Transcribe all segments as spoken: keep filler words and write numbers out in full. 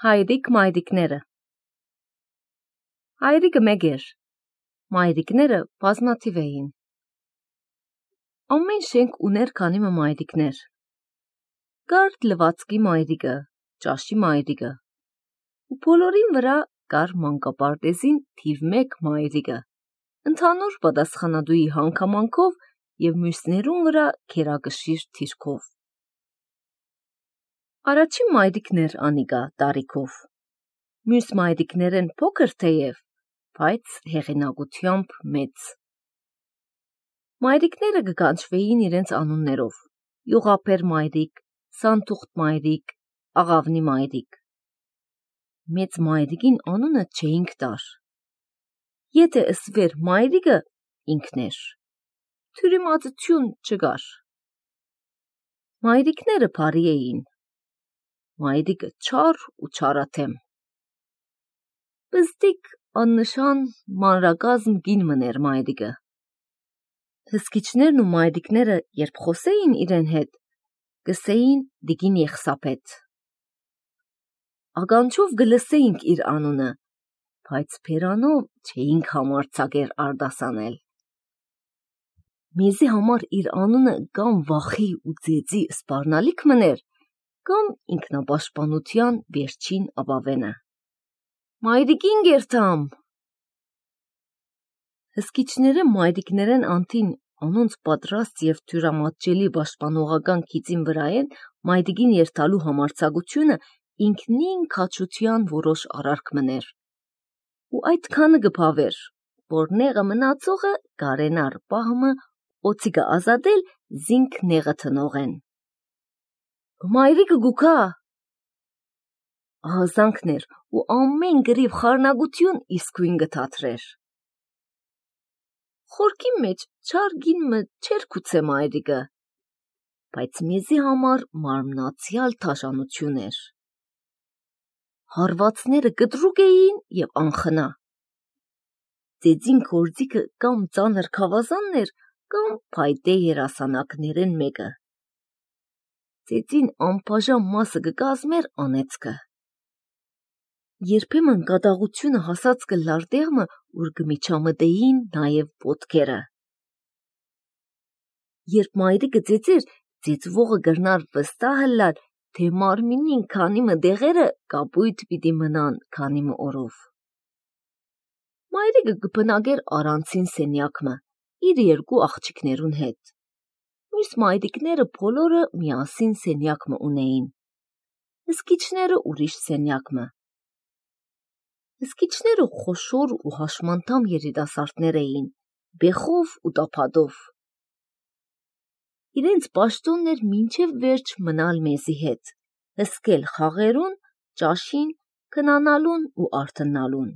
Հայրիկ մայրիկները Հայրիկը մեկ էր, մայրիկները բազմաթիվ էին։ Ամեն շենք ուներ քանիմը մայրիկներ։ Կար լվացքի մայրիկը, ճաշի մայրիկը, ու բոլորին վրա կար մանկապարտեզին թիվ մեկ մայրիկը, ընդհանուր պատասխանատուի հանգամանքով և մյուսներուն վրա քերակշիռ թիրքով։ Առաջին մայրիկն էր անիկա տարիքով, մյուս մայրիկներեն փոքր թեև, բայց հեղինակությամբ մեծ։ Մայրիկները կկանչվեին իրենց անուններով՝ յուղափեր մայրիկ, սանթուղթ մայրիկ, աղավնի մայրիկ։ Մեծ մայրիկին անունը չէինք տար։ Եթե ըսվեր մայրիկը, ինքն էր, թյուրիմացություն չկար։ Մայրիկները բարի էին, մայրիկը չար ու չարաթեմ։ Բզդիկ աննշան մանրակազմ կին մներ մայրիկը։ Հսկիչներն ու մայրիկները երբ խոսեին իրեն հետ, կսեին դիկին Եղսափեթ։ Ականջով գլսեինք իր անունը, բայց բերանով չէինք համարձակեր արտասանել։ Մեզի համար իր անունը կամ վախի ու ձեծի սպառնալիք մներ, կամ ինքնապաշտպանության վերջին ապավենը։ Մայրիկին գերթամ։ Հսկիչները մայրիկներեն անտին անոնց պատրաստ և թյուրամատչելի պաշտպանողական քիծին վրայեն մայրիկին երթալու համարձակությունը ինքնին քաջության որոշ արարք մներ։ Ու այդքանը կփավեր, որ նեղը մնացողը կարենար պահմը օծիկը ազատել զինք նեղը տնողեն։ Մայրիկը գուքա։ Ահազանգներ ու ամեն գրիվ խառնագություն իսկույն գթաթրեր։ Խորքի մեջ չար գինմը չեր գուցե մայրիկը, բայց մեզի համար մարմնացյալ թաշանություն էր։ Հարվածները կտրուկ էին և անխնա։ Ձեծին գործիքը կամ ծանր քավազանն էր, կամ փայտե երասանակներեն մեկը։ Ձեծին անբաժան մասը կկազմեր անեծքը։ Երբեմն կատաղությունը հասած կլար տեղմը, ուր կմիջամտեին նաև ոտքերը։ Երբ մայրիկը ձեծեր, ձեծվողը կրնար վստահ ըլլալ, թե մարմինին քանիմը դեղերը կապույտ պիտի մնան քանիմը օրով։ Մայրիկը կբնակեր առանցին սենյակմը, իր երկու աղջիկներուն հետ։ Մյուս մայրիկները բոլորը միասին սենյակմը ունեին, հսկիչները ուրիշ սենյակմը։ Հսկիչները խոշոր ու հաշմանդամ երիտասարդներ էին, բեխով ու տափադով։ Իրենց պաշտոնն էր մինչև վերջ մնալ մեզի հետ, հսկել խաղերուն, ճաշին, քնանալուն ու արթնալուն։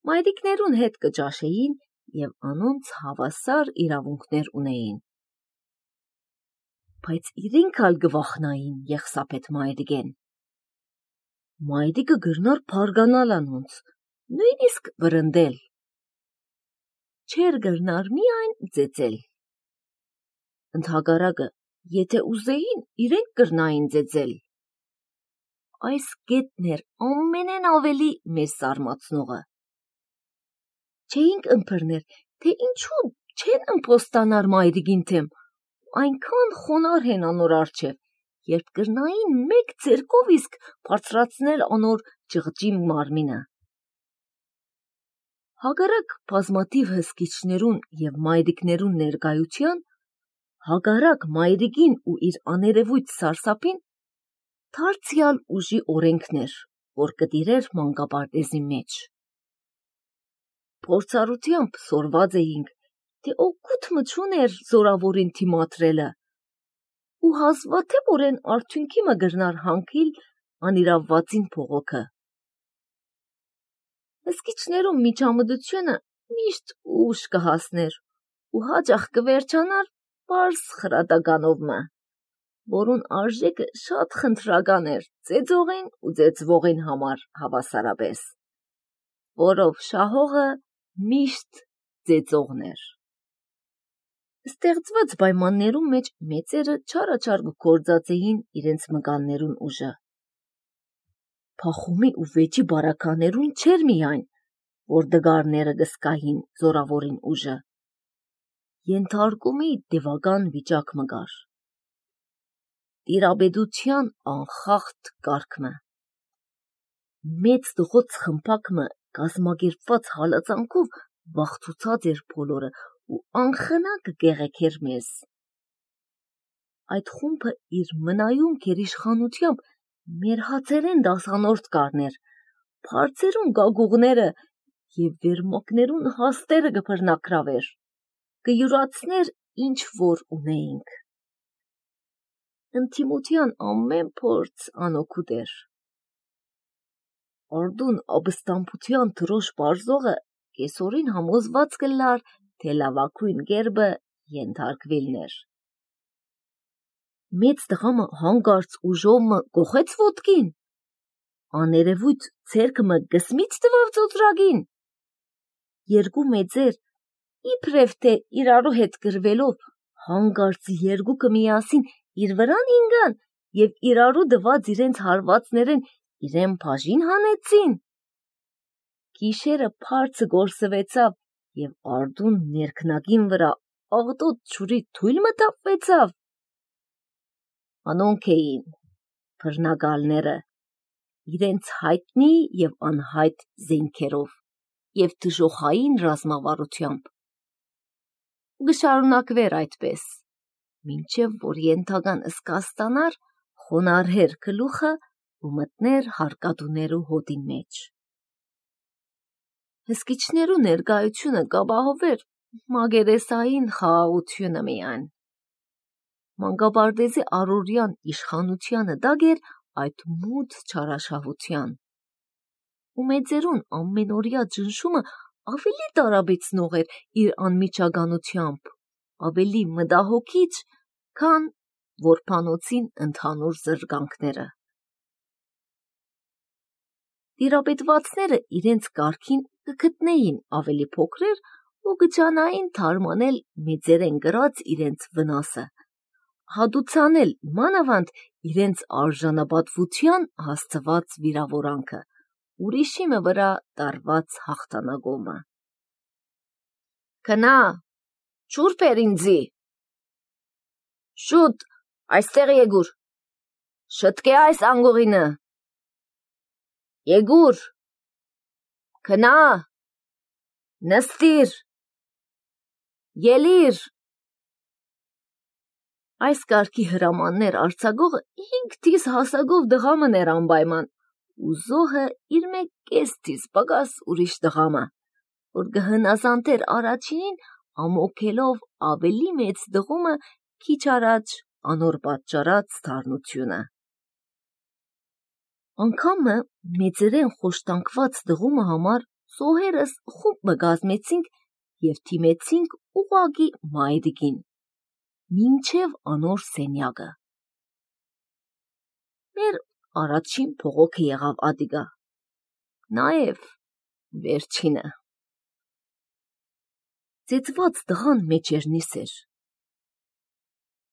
Մայրիկներուն հետ կճաշեին և անոնց հավասար իրավունքներ ունեին։ Բայց իրենք ալ կվախնային Եղսափեթ մայրիկեն։ Մայրիկը կրնար փարգանալ անոնց, նույնիսկ վրընդել։ Չէր կրնար միայն ձեծել։ Ընդհակառակը, եթե ուզեին, իրենք կրնային ձեծել։ Այս կետն էր ամենեն ավելի մեզ զարմացնողը։ Չէինք ըմբռներ, թե ինչու չեն ըմպոստանար մայրիկին թեմ, այնքան խոնար են անոր առջև, երբ կրնային մեկ ձեռքով իսկ բարձրացնել անոր ճղճի մարմինը։ Հակառակ բազմաթիվ հսկիչներուն և մայրիկներուն ներկայության, հակառակ մայրիկին ու իր աներևույթ սարսափին, դարձյալ ուժի օրենքն էր, որ կտիրեր մանկապարտեզի մեջ։ Փորձառությամբ սորված էինք, թե օգուտը չուներ զորավորին թիմադրելը, ու հազվադեպորեն արդյունքի մը կրնար հանգիլ անիրավվածին փողոքը։ Հսկիչներուն միջամտությունը միշտ ուշ կհասներ ու հաճախ կվերջանար պարզ խրատականով մը, որուն արժեքը շատ խնդրական էր ծեծողին ու ծեծվողին համար հավասարապես, որով շահողը միշտ ծեծողն էր։ Ստեղծված պայմաններում մեջ մեծերը չարաչար կգործածեին իրենց մկաններուն ուժը։ փախումի ու վեճի բարականերուն չեր միայն, որ դգարները գսկային զորավորին ուժը, ենթարկումի դևական վիճակ մգար։ Տիրաբեդության անխախտ կարգմը։ Մեծ դղոց խմպակմը կազմագերպված հալածանքով վախցուցած էր բոլորը ու անխնա կգեղեքեր մեզ։ Այդ խումբը իր մնայուն գերիշխանությամբ մեր հացերեն դասանորդ կարներ, բարձերուն գագուղները և վերմակներուն հաստերը գբրնակրավեր, կյուրացներ ինչ որ ունեինք։ Ընթիմության ամեն փորձ անօգուտ էր։ Արդուն ապստամբության թրոշ բարձողը կեսօրին համոզված կլար, թե լավակույն գերբը ենթարկվիլներ։ Մեծ տղամը հանգարց ուժովմը գողեց ոտքին, աներևույթ ցերկմը գսմից տվավ ծոծրագին։ Երկու մեծեր, իբրև թե իրարու հետ գրվելով, հանգարց երկուկը միասին իր վրան ինգան և իրարու դված իրենց հարվածներեն իրեն բաժին հանեցին։ Գիշերը փարցը գործվեցավ և արդուն ներքնագին վրա աղտոտ ջուրի թույլ մտապվեցավ։ Անոնք էին բռնագալները, իրենց հայտնի և անհայտ զենքերով և դժոխային ռազմավարությամբ։ Գշարունակվեր այդպես, մինչև որ ենթական սկաստանար խոնարհեր գլուխը ու մտներ հարկադուներու հոտին մեջ։ Հսկիչներու ներկայությունը կապահովեր մագերեսային խաղաղությունը միայն։ Մանկապարտեզի առօրյան իշխանությանը դագ էր այդ մութ չարաշահության։ Ու մեծերուն ամենօրյա ճնշումը ավելի տարաբեցնող էր իր անմիջականությամբ, ավելի մտահոգիչ, քան որբանոցին ընդհանուր զրկանքները։ Տիրապետվածները իրենց կարգին կգտնեին ավելի փոքրեր ու կջանային թարմանել մեծերեն գրած իրենց վնասը, հատուցանել մանավանդ իրենց արժանապատվության հասցված վիրավորանքը, ուրիշի մը վրա տարված հաղթանակոմը։ Քնա, ջուր բեր ինձի։ Շուտ, այստեղ եգուր, շտկե այս անգողինը։ Եգուր, քնա, նստիր, ելիր։ Այս կարգի հրամաններ արձագողը հինգ տիս հասակով դղամն էր անպայման, ու զոհը իր մեկ կես տիս պակաս ուրիշ դղամը, որ կհնազանդեր առաջինին ամոքելով ավելի մեծ դղումը քիչ առաջ անոր պատճառած թարնությունը։ Անգամը մեծերեն խոշտանգված դղումը համար զոհերս խումբ մը կազմեցինք և թիմեցինք ուղղակի մայրիկին, մինչև անոր սենյակը։ Մեր առաջին փողոքը եղավ ադիգա, նաև վերջինը։ Ծեծված տղան մեջերնիս էր։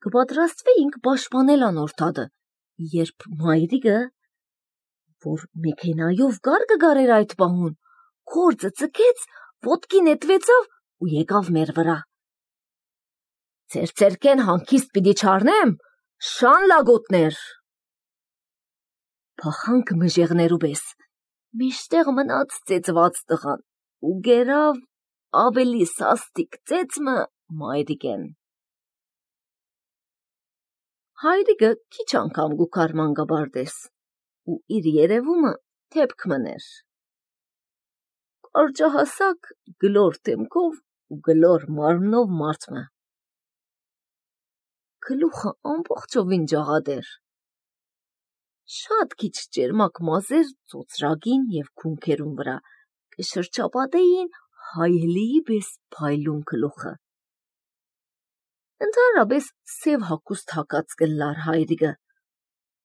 Կպատրաստվեինք պաշտպանել անոր տատը, երբ մայրիկը, որ մեքենայով գար կգարեր այդ պահուն, գործը ծքեց, ոտքի նետվեցավ ու եկավ մեր վրա։ Ձեր ձերքեն հանքիստ պիտի չառնեմ, շան լագոտներ։ Փախանք մժեղներու պես, մեջտեղ մնաց ծեծված տղան ու գերավ ավելի սաստիկ ծեծմը մայրիկեն։ Հայրիկը քիչ անգամ գուքար մանկապարտեզ ու իր երևումը թեպք մներ։ Կարճահասակ գլոր դեմքով ու գլոր մարմնով մարդմը։ Գլուխը ամբողջովին ջաղատ էր։ Շատ քիչ ճերմակ մազեր ծոծրագին և քունքերուն վրա կշրջապատեին հայելիի պես փայլուն գլուխը։ Ընդհանրապես սև հագուստ հագած կլար հայրիկը,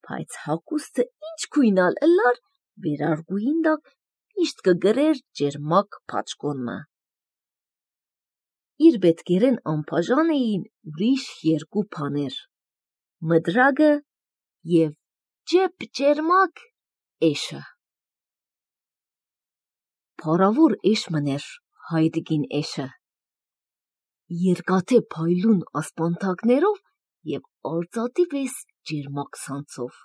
բայց հագուստը ինչ քույնալ ըլլար, վերարգուին տակ միշտ կգրեր ճերմակ փաչկոնմը։ Իր պետքերեն անբաժան էին ուրիշ երկու բաներ՝ մդրագը և ջեպ ճերմակ էշը։ փառավոր էշ մներ հայդիկին էշը։ Երկաթե փայլուն ասպանթակներով և արծաթի պես ջերմակ ցանցով։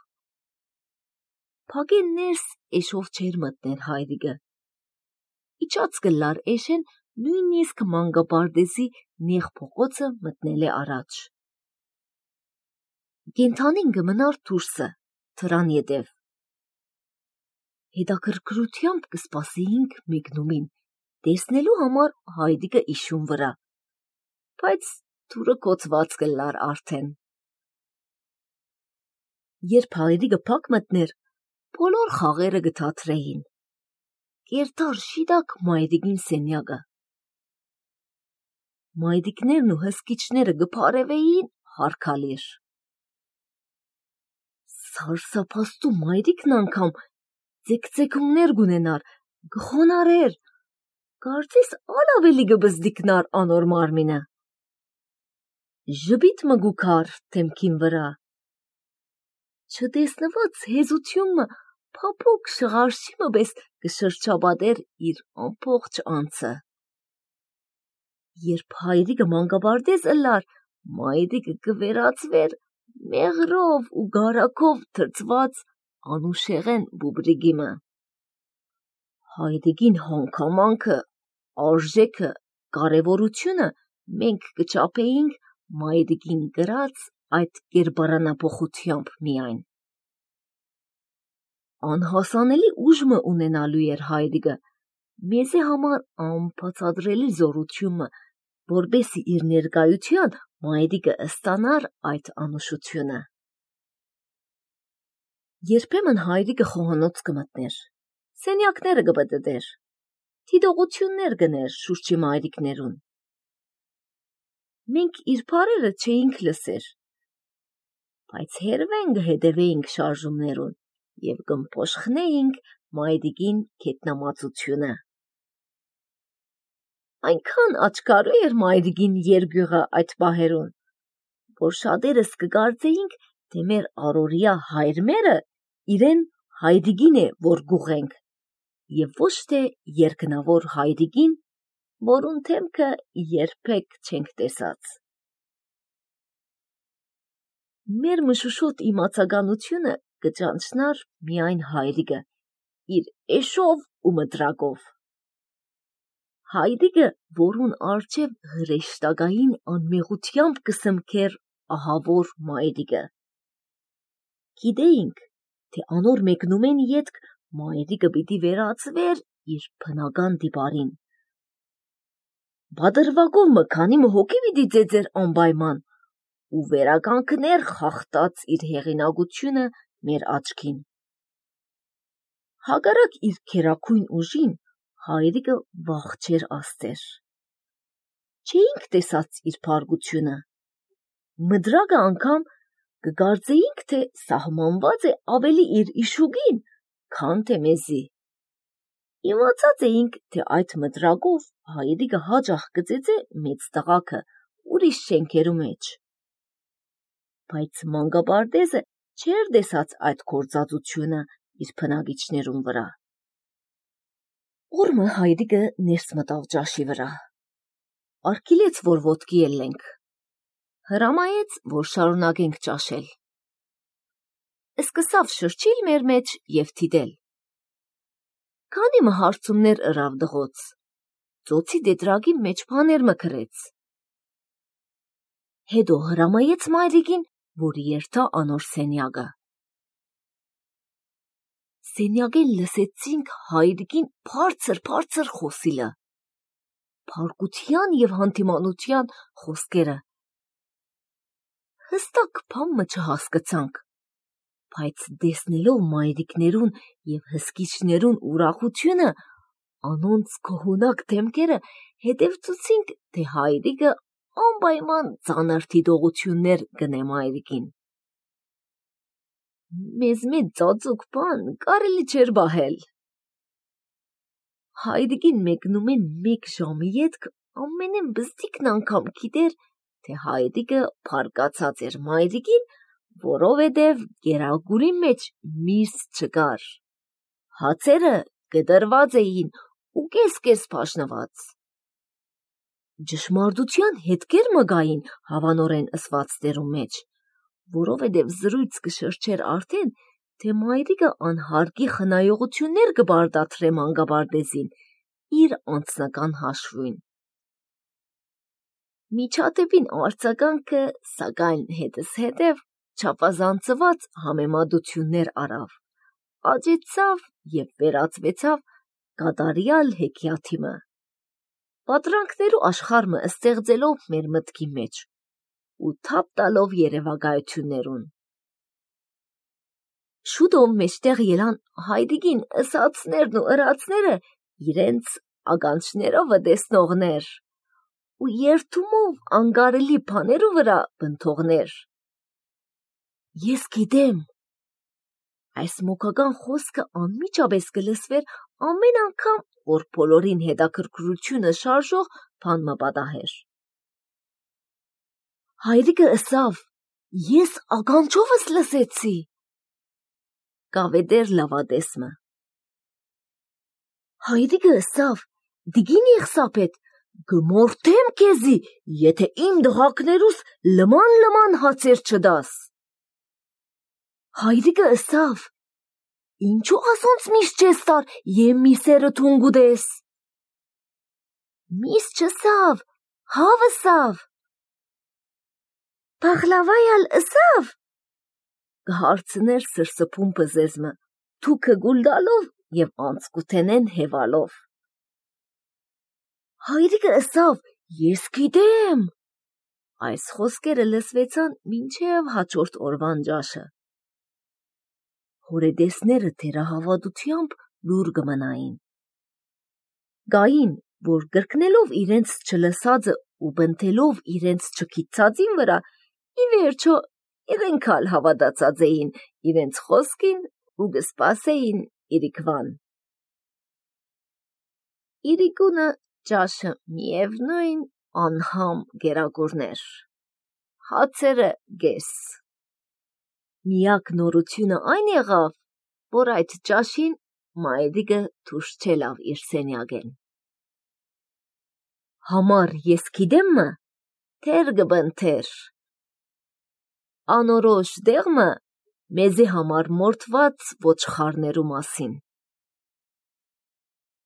Փագեն ներս էշով չեր մտներ հայդիկը։ Իջած կլար էշեն նույնիսկ մանկապարտեզի նեղ փողոցը մտնել է առաջ։ Կենդանին կմնար դուրսը, թրան ետև։ Հետաքրքրությամբ կսպասեինք մեկնումին, տեսնելու համար հայդիկը իշուն վրա, բայց թուրը կոծված կլար արդեն։ Երբ հայդիկը փակ մտներ, բոլոր խաղերը կթատրեին։ Կերտար շիտակ մայրիկին սենյակը։ Մայրիկներն ու հսկիչները կփարևեին հարկալիր։ Սարսափաստու մայրիկն անգամ ձեքձեքումներ գունենար, գխոնարեր, կարծես ալ ավելի կբզդիկնար անոր մարմինը։ Ժպիտ մգուքար թեմքին վրա։ Չտեսնված հեզությունը փափուկ շղարշիմը պես կշրջաբադեր իր ամբողջ անձը։ Երբ հայրիկը մանկապարտեզ ըլլար, մայրիկը կվերածվեր մեղրով ու գարակով թրծված անուշեղեն բուբրիգիմը։ Հայդիկին հանգամանքը, արժեքը, կարևորությունը մենք կչափեինք մայրիկին գրած այդ կերպարանափոխությամբ միայն։ Անհասանելի ուժը ունենալու էր հայդիկը, մեզի համար անբացատրելի զորությունը, որպեսզի իր ներկայության մայրիկը ստանար այդ անուշությունը։ Երբեմն հայրիկը խոհանոց կմտներ, սենյակները կպտտեր, դիտողություններ կներ շուրջի մայրիկներուն։ Մենք իր բառերը չէինք լսեր, բայց հերվեն կհետևեինք շարժումներուն և կմփոշխնեինք մայրիկին գետնամածությունը։ Այնքան աչքարու էր մայրիկին երկյուղը այդ պահերուն, որ շատերս կկարծեինք, թե մեր առօրյա հայրմերը իրեն հայրիկին է, որ գուղենք, և ոչ թե երկնավոր հայրիկին, որուն թեմքը երբեք չենք տեսած։ Մեր մշուշոտ իմացականությունը կճանչնար միայն հայրիկը, իր էշով ու մտրակով։ Հայրիկը, որուն առջև հրեշտակային անմեղությամբ կսմքեր ահավոր մայրիկը։ Գիտեինք, թե անոր մեկնումեն ետք մայրիկը պիտի վերածվեր իր բնական դիպարին։ Բադրվակով մը քանի մը հոգի պիտի ծեծեր անպայման ու վերականգներ խախտած իր հեղինակությունը մեր աչքին։ Հակառակ իր քերաքույն ուժին, հայրիկը վախ չէր աստեր։ Չէինք տեսած իր փառքությունը։ Մդրակը անգամ կկարծեինք, թե սահմանված է ավելի իր իշուկին, քան թե մեզի։ Իմացած էինք, թե այդ մդրակով հայրիկը հաճախ կծեծե մեծ տղաքը ուրիշ շենքերու մեջ։ Բայց մանկապարտեզը չէր տեսած այդ գործածությունը իր բնակիչներուն վրա։ Օրը հայրիկը ներս մտավ ճաշի վրա, արգիլեց, որ ոտքի ելենք, հրամայեց, որ շարունակենք ճաշել։ Սկսավ շրջիլ մեր մեջ և թիդել։ Քանի մը հարցումներ ըրավ դղոց, ծոցի տետրակի մեջ բաներ մը գրեց։ Հետո հրամայեց մայրիկին, որ երթա անոր սենյակը։ Սենյակեն լսեցինք հայրիկին բարձր-բարձր խոսիլը, փառքության և հանդիմանության խոսքերը։ Հստակ բան մը չհասկացանք, բայց տեսնելով մայրիկներուն և հսկիչներուն ուրախությունը, անոնց գոհունակ դեմքերը, հետևծուցինք, թե հայրիկը անպայման ծանր դիտողություններ կնե մայրիկին։ Մեզ մեծ ծածուկ բան կարելի չէր պահել։ Հայրիկին մեկնումեն մեկ ժամի ետք ամենեն բզդիկն անգամ գիտեր, թե հայրիկը փառկացած էր մայրիկին, որովհետև գերագուրի մեջ միս չկար։ Հացերը կտրված էին ու կես-կես փաշնված։ Ճշմարտության հետքեր մը գային հավանորեն ըսված տերու մեջ, որովհետև զրույց կշրջեր արդեն, թե մայրիկը անհարկի խնայողություններ կբարդացրե մանկաբարձին իր անձնական հաշվին։ Միջադեպին արձագանքը, սակայն հետզհետև չափազանցված համեմատություններ արավ, աճեցավ և վերածվեցավ կատարյալ հեքիաթի մը, պատրանքներու աշխարհը ստեղծելով մեր մտքի մեջ ու թափ տալով երևակայություններուն։ Շուտով մեջտեղ ելան հայրիկին ըսածներն ու ըրածները իրենց ականջներովը տեսնողներ ու երդումով անկարելի բաներու վրա բնթողներ։ Ես գիտեմ, այս մոգական խոսքը անմիջապես կլսվեր ամեն անգամ, որ բոլորին հետաքրքրությունը շարժող բան մը պատահեր։ Հայրիկը ըսավ, ես ականջովս լսեցի։ Կավեդեր լավադեսմը։ Հայրիկը ըսավ, դիգին Եղսապետ, գմորթեմ քեզի, եթե իմ դղակներուս լման-լման հացեր չդաս։ Հայրիկը ըսավ, ինչու ասոնց միշտ չես տար եմ միսերը թունգուդես։ Միս չսավ, հավ ըսավ։ Պախլավայալ ըսավ։ Կհարցներ սրսփում պզեզմը, թուքը գուլդալով և անցկութենեն հևալով։ Հայրիկը ըսավ, ես գիտեմ։ Այս խոսքերը լսվեցան մինչև հաջորդ օրվան ջաշը։ Հորեդեսները թերահավատությամբ լուր կմնային։ Գային, որ գրկնելով իրենց չլսածը ու բնթելով իրենց չգիտածին վրա, ի վերջո իրենք ալ հավատացած էին իրենց խոսքին ու կսպասեին իրիկվան։ Իրիկունը ջաշը միևնույն անհամ գերագուրներ, հացերը գես։ Միակ նորությունը այն եղավ, որ այդ ջաշին մայրիկը դուրս չելավ իր սենյակեն։ Համար ես գիտեմ մը, թեր գբնթեր։ Անորոշ դեղմը մեզի համար մորթված ոչխարներու մասին։